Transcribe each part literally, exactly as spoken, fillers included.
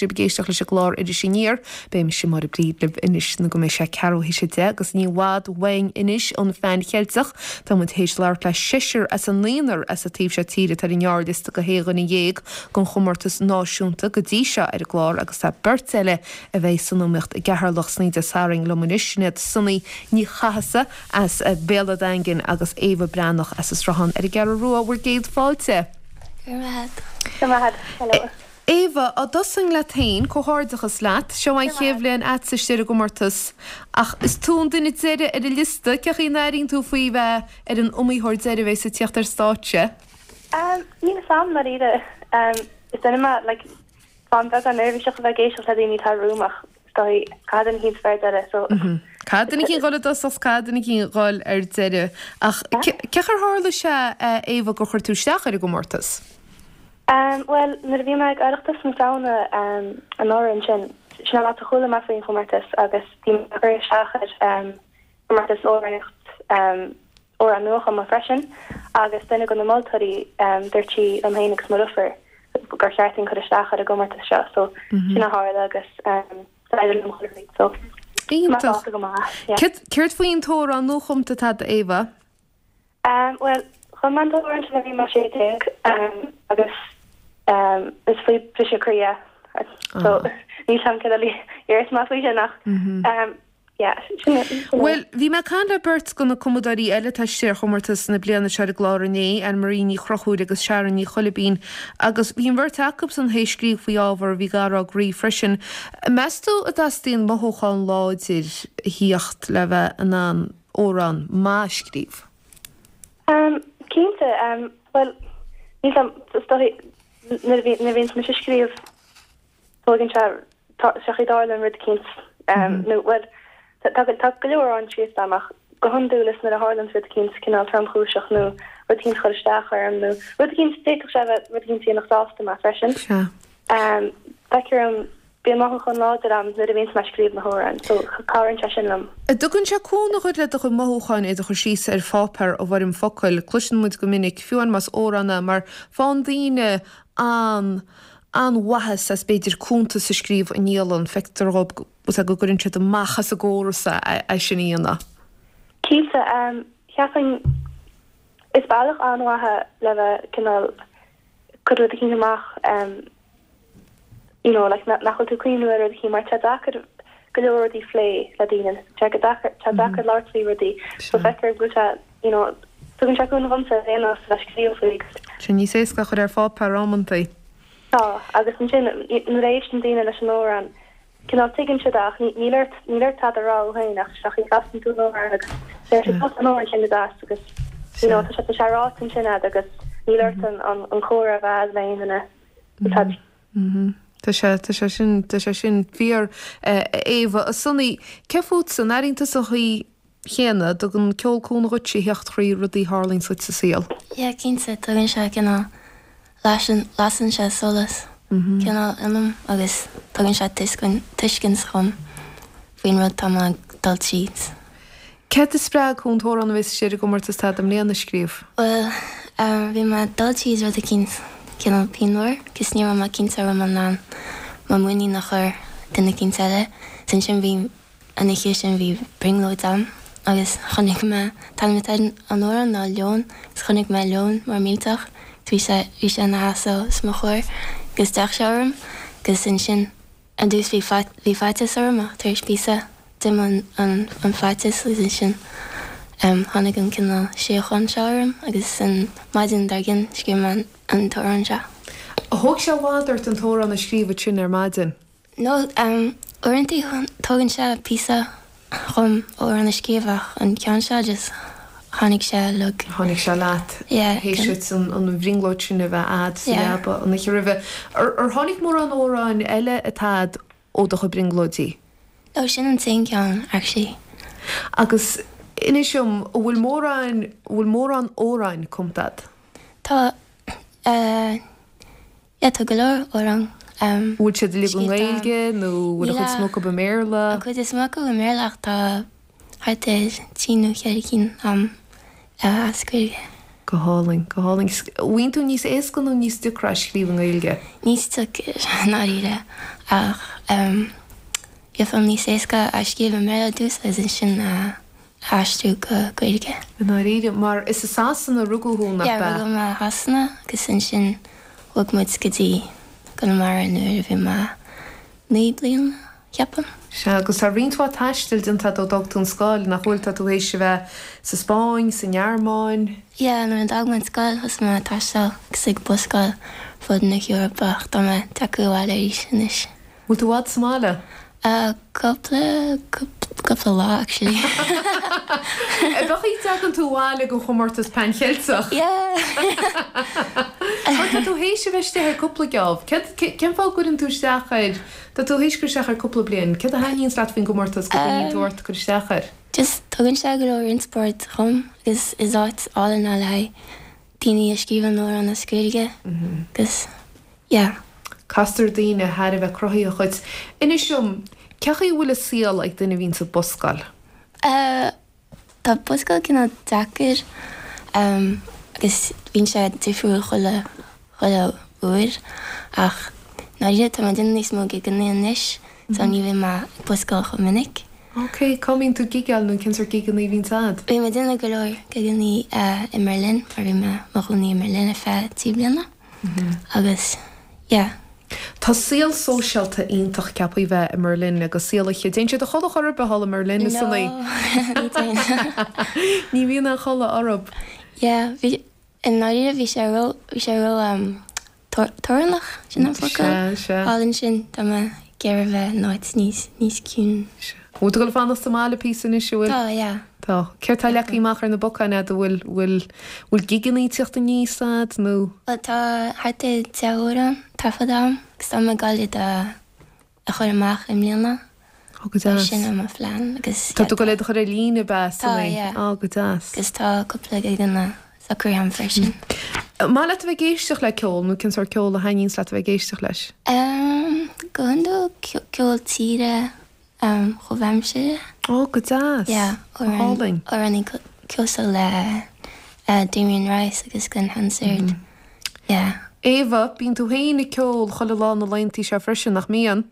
sibh ag éisteacht leis an gclár Iris Aniar. Beidh mise Máire Bríd libh anois nó go mbeidh sé ceathrú théis a deich agus ní i bhfad uainn anois an Pheann Cheilteach. Tá muid théis labhairt le seisear as an naonúr as an taobh seo tíre atá ar an ngearrliosta go shé dhuine dhéag don chomórtas náisiúnta go dtí seo ar an gclár agus tá beirt eile a bheidh san iomaíocht i gCeatharlach san Dé Sathairn liom anois sin iad Sonaí Ní Chathasaigh as Béal an Daingin agus Éabha Breathnach as an Sruthán ar an gCeathrú Rua bhur gcéad fáilte. Hello. Éabha á dtosóinn leat féin comhghairdeachas leat, seo an chéad bhliain agatsa istigh ar an gcomórtas ach is tú an duine deiridh ar an liosta, cén chaoi a n-airíonn tú faoi bheith ar an iomaitheoir deiridh a bheas ag tíocht ar stáitse? Um, níl a fhios agam dáiríre. Um, is duine mé like fan beagán neirbhíseach a bheith ag éisteacht le daoine atá romham ach caithfidh duine eicínt bheith ar deireadh so Caithfidh duine eicínt dhul i dtosach caithfidh duine eicínt dhul ar deireadh ach cén chaoi ar tharla sé Éabha gur chuir tú isteach ar an gcomórtas? Um, well, nuair a bhí mé ag Oireachtas na Samhna um, anuraidh ansin sin an áit a chuala mé faoin chomórtas agus bhí mé ag cur isteach ar um, comórtas amhránaíocht um, amhrán nuachumtha freisin agus duine de na moltóirí um, dúirt sí liom féin agus mo dheirfiúr gur cheart dúinn cur isteach ar an gcomórtas seo so sin a tharla agus um, so Iontach. Céard faoin t-amhrán nuachumtha atá agat Éabha? Um, well chum mé an t-amhrán sin bhí mé sé déag um, agus um, is faoi briseadh croí so ní sam ce iar má faoi sin nach um, yeah, sin sin Well, bhí mé ag caint le beirt de na cumadóirí eile atá istigh ar chomórtas na bliana seo ar an gclár inné, Anne Marie Ní Chonchúir agus Sharon Ní Choilibín, agus bhí an bheirt acusan théis scríobh faoi ábhar a bhí gar dá gcroí freisin. Meas tú an dteastaíonn mothúchán láidir a thíocht le bheith in ann amhrán maith a scríobh? Um, cinnte um, well ní sam nuair a bhíonn mise ag scríobh tógann sé sé dáil an rud eicínt um, nó well tá tá go leor an scríofa amach go hiondúil is nuair a tharlaíonn rud eicínt cineál tromchúiseach nó rud eicínt chur isteach orm nó rud eicínt d'fhéadfadh sé bheith rud eicínt nach sásta mé freisin. Sea. Um, feictear dom bíonn mothúchán láidir agam nuair a bhíonn mé ag scríobh na hamhráin, so cabhraíonn sé sin liom. An dtugann sé cúnamh dhuit le do chuid mothúcháin iad a chur síos ar pháipéar i bhfoirm focail, cloiseann muid go minic fiú más amhrán é mar faigheann daoine an an-mhaitheas as b'fhéidir cuntas a scríobh i ndialann, feictear dóibh go gcuireann siad amach as a gcóras é sin a dhéanamh. Cinnte um, cheapfainn is bealach an-mhaith le bheith cineál cur rud eicínt amach um, you know, like, nach bhfuil tú cuimhniú ar rud eicínt mar tá deacair go leor rudaí plé le daoine tá go deacair tá deacair labhairt faoi rudaí so feictear go bhfuil you know, tugann sé cúnamh domsa aon le scríobh faoi. Sin níos éasca chur ar pháipéar amantaí. Tá agus ansin nuair a éisteann daoine leis an amhrán cineál tuigeann siad ach níl ort níl ort tada a rá féin ach seach casann tú an amhrán agus deir siad an amhrán sin deas agus you know, tá sé tá sé ráite ansin agat agus níl ort an an an comhrá a bheith le aon duine. Tá Tá sé tá sé sin tá sé sin fíor Éabha a Sonaí cé fútsa an airíonn tú an chaoi chéanna dtugann ceol cúnamh dhuit a theacht thrí rudaí a tharlaíonn duit sa saol. Yeah, cinnte tugann sé cineál lasann lasann sé solas cineál ionam agus tugann sé tuiscint dom faoin rud tá mé ag dul tríd. Céard a spreag thú an t-amhrán a bheas istigh ar an gcomórtas atá agat i mbliana a scríobh? Well, um, bhí mé ag dul tríd rud eicínt cineál pianmhar, agus ní raibh mé cinnte raibh mé in ann mo mhuinín a chur duine eicínt eile. Sin sin bhí an oíche sin bhí brionglóid agam agus chonaic mé an t-ainm an amhráin ná leon, agus chonaic mé leon mór millteach, bhí sé bhí sé ina sheasamh os mo chomhair agus d'fhéach sé orm agus ansin ar dtús bhí bhí faitíos orm ach tar éis píosa d'imigh an an an faitíos agus ansin um, tháinig an cineál síocháin seo orm agus an maidin dár gcionn scríobh mé an an t-amhrán seo. Thóg sé i bhfad ort an t-amhrán a scríobh sin ar maidin. No, um, uaireanta tógann sé píosa chun amhrán a scríobh ach an ceann seo just tháinig sé like. Tháinig sé leat Yeah, théis an an bhrionglóid sin a bheith agat sa Yeah. leaba an oíche roimhe. Ar ar tháinig mórán amhráin eile atá ó do chuid brionglóidí. No, sin an t-aon ceann actually. Agus inis dom an bhfuil mórán bhfuil mórán amhráin cumtha agat. Tá uh, yeah, tá go leor amhrán um, Bhfuil siad uilig i Scríofa. nGaeilge nó bhfuil a Níl chuid is mó acu i mBéarla? An chuid is mó acu i mBéarla ach tá thart ar trí nó ceithre cinn um, uh, as Gaeilge. Go Go hálainn, go hálainn. Bhíonn tú níos éasca nó níos deacra a scríobh i nGaeilge? Níos deacra i ndáiríre ach bhí níos éasca a scríobh i mBéarla ar dtús agus ansin a aistriú go Gaeilge. I ndáiríre, mar is i Sasana a rugadh thú, nach ea? Yeah, rugadh mé i Shasana agus ansin bhog muid go dtí Conamara nuair a bhí mé naoi bliana, ceapaim. Sea, agus tá roinnt mhaith taistil déanta agat ó d'fhág tú an scoil, nach bhfuil? Tá tú théis a bheith sa Spáinn, sa nGearmáin. Yeah, nuair a d'fhág mé an scoil thosaigh mé ag taisteal agus ag buscáil fud na hEorpa ach tá mé tagtha abhaile arís anois. Bhfuil tú i bhfad sa mbaile? Cúpla, cúpla lá actually. Ab é go dtagann tú abhaile don chomórtas Pan Cheilteach? Yeah! Mar tá tú théis a bheith istigh ar cúpla geábh. Cén fáth a gcuireann tú isteach air? Tá tú théis cur isteach air cúpla bliain. Céard a thaitníonns leat faoin gcomórtas go gcoinníonn tú ort cur isteach air? Just tugann sé go leor inspioráid dhom agus is áit álainn é le haghaidh daoine a scríobhann amhráin as Gaeilge agus yeah. Castar daoine thar a bheith cruthaitheach dhuit. Inis dom, cén chaoi a bhfuil an saol ag duine a bhíonns ag buscáil? Tá buscáil cineál deacair agus bíonn sé difriúil chuile chuile uair ach ndáiríre tá mé ag déanamh níos mó gigeanna anois so ní bhíonn mé ag buscáil chomh minic. Ok, cá mbíonn tú ag gigeáil nó cén sórt gigeanna a bhíonns a'd? Bhí mé ag déanamh go leor gigeanna i mBerlin mar bhí mé mo chónaí i mBerlin ar feadh trí bliana agus yeah. Tá saol sóisialta iontach ceaptha bheith i mBerlin agus saol oíche. Téann siad a chodladh chor ar bith thall i mBerlin, is No, ní. ní téann. Ní bhíonn aon chodladh orthu. Yeah, bhí i ndáiríre bhí sé ró bhí sé ró um, tor torannach sin an focal. Sea, sea. Thall ansin tá mé ag iarraidh bheith in áit níos níos ciúin. Bhfuil tú ag dul fanacht sa mbaile píosa anois, an bhfuil? Tá, yeah. Tá. Céard tá leagtha amach ar na bacáin a'd, an bhfuil bhfuil bhfuil gigeanna ag tíocht aníos a'd nó? Bhuel tá thart ar deich amhrán taifeadta a'm agus tá mé ag dul iad a a chur amach i mbliana. Ó go deas. Sin é mo phlean agus Tá tú ag dul iad a chur ar líne ab ea Tá, yeah. Ó go deas. Agus tá cúpla gigeanna socraithe a'm freisin. Maith leat a bheith ag éisteacht le ceol nó cén sórt ceol a thaitníonns leat a bheith ag éisteacht leis? Um, go hiondúil ceol tíre um, comhaimseartha. Ó go deas. Yeah, Hálainn. amhránaí cosúil le uh, Damien Rice agus Glen Hansard. Yeah. Éabha, bíonn tú féin ag ceol chuile lá na laethanta seo freisin nach mbíonn?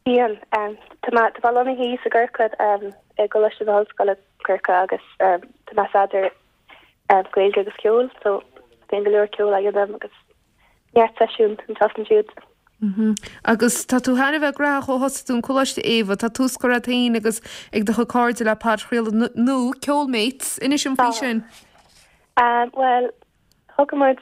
Bíonn um, tá mé tá mé lonnaithe i gCorcaigh um, i gColáiste na hOllscoile Corcaigh agus um, tá mé staidéar um, Gaeilge agus ceol, so bíonn go leor ceol agam agus neart seisiún an tseachtain siúd. Mm Agus tá tú thar a bheith gnóthach ó thosaigh tú an coláiste Éabha, tá tús curtha agat féin agus ag do chuid cairde le podchraoladh nó Ceolmates inis dom faoi sin. Um, well, thug muid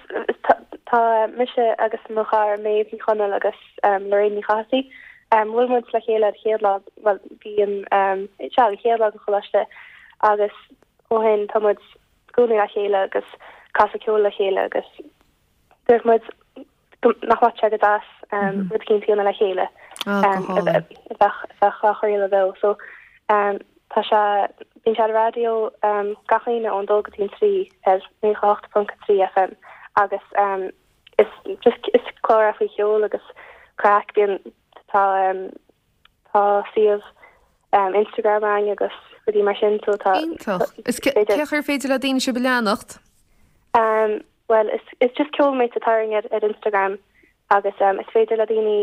tá mise agus mo chara Méabh Ní Chonaill agus um, Lorraine Ní Chathasaigh. Um, bhuail muid le chéile an chéad lá well bhí an um, se an chéad lá an choláiste agus ó shin tá muid i gcónaí le chéile agus casadh ceol le chéile agus dúirt muid nach mbeadh sé go deas um, rud éicint a dhéanamh le chéile Ah, go um, hálainn. bheith bheith á chraoladh beo so um, tá sé bíonn sé ar raidió um, gach Aoine ón dó go dtí an trí ar naocha hocht ponc trí FM agus um, is just is clár faoi cheol agus craic bíonn tá um, tá suíomh um, Instagram againn agus rudaí mar sin so tá Iontach. Is cé ar féidir le daoine sibh a leanacht? Um, well is is just Ceolmates atá ar ar Instagram agus um, is féidir le daoine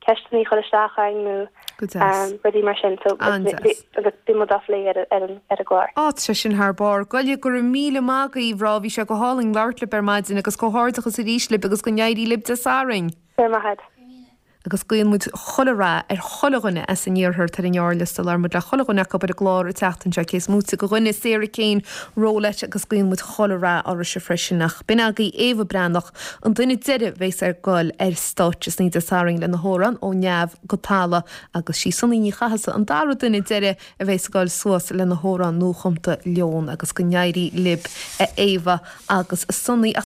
ceisteanna a chur isteach againn nó Go deas. um, rudaí mar sin so An-deas. agus bíonn muid á phlé ar ar an ar an gclár. Á sé sin thar barr, Goile go raibh míle maith agaibh rá bhí sé go hálainn labhairt libh ar maidin agus comhghairdeachas arís libh agus go n-éirí libh Dé Sathairn. Ar maith. Agus guíonn muid chuile rath ar chuile dhuine as an iarthar ar an ngearrliosta labhair muid le chuile dhuine acu ar an gclár an tseachtain seo cé is móite de dhuine Sarah Kane Rolette agus guíonn muid chuile rath oraibhse freisin ach b'in agaibh Éabha Breathnach an duine deiridh a bheas ag dul ar stáitse san Dé Sathairn lena hamhrán ó neamh go talamh agus sí Sonaí Ní Chathasaigh an dara duine deiridh a bheas ag dul suas lena hamhrán nuachumtha Leon agus go n-éirí libh a Éabha agus a Sonaí.